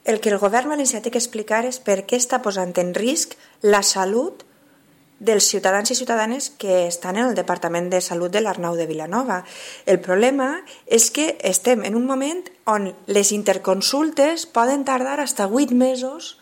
el que el govern valencià té que explicar és per què està posant en risc la salut dels ciutadans i ciutadanes que estan en el Departament de Salut de l'Arnau de Vilanova. El problema és que estem en un moment on les interconsultes poden tardar fins a 8 mesos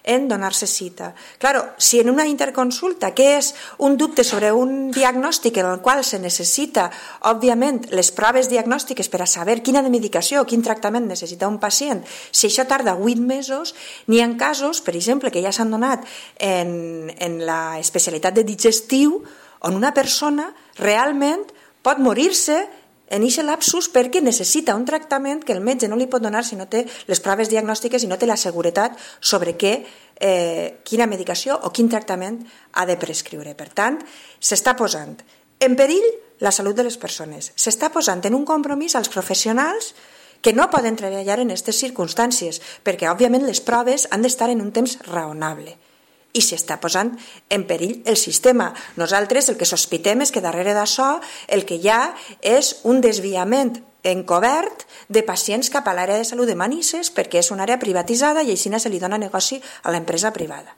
en donar-se cita. Claro, si en una interconsulta, que és un dubte sobre un diagnòstic en el qual se necessita, òbviament, les proves diagnòstiques per a saber quina medicació o quin tractament necessita un pacient, si això tarda 8 mesos, n'hi ha casos, per exemple, que ja s'han donat en la especialitat de digestiu, on una persona realment pot morir-se en aquest lapsus perquè necessita un tractament que el metge no li pot donar si no té les proves diagnòstiques i no té la seguretat sobre quina medicació o quin tractament ha de prescriure. Per tant, s'està posant en perill la salut de les persones, s'està posant en un compromís als professionals que no poden treballar en aquestes circumstàncies, perquè òbviament les proves han d'estar en un temps raonable. I s'està posant en perill el sistema. Nosaltres el que sospitem és que darrere d'això el que hi ha és un desviament encobert de pacients cap a l'àrea de salut de Manises perquè és una àrea privatitzada i així se li dona negoci a l'empresa privada.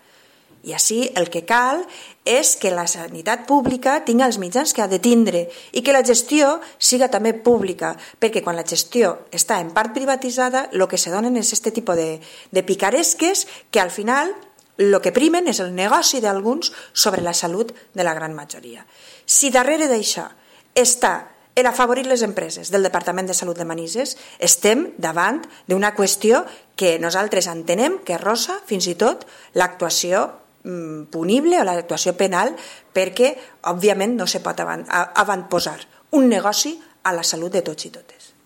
I així el que cal és que la sanitat pública tingui els mitjans que ha de tindre i que la gestió siga també pública, perquè quan la gestió està en part privatitzada el que se donen és aquest tipus de picaresques que al final el que primen és el negoci d'alguns sobre la salut de la gran majoria. Si darrere d'això està afavorir les empreses del Departament de Salut de Manises, estem davant d'una qüestió que nosaltres entenem que rossa fins i tot l'actuació punible o l'actuació penal perquè, òbviament, no se pot avantposar un negoci a la salut de tots i totes.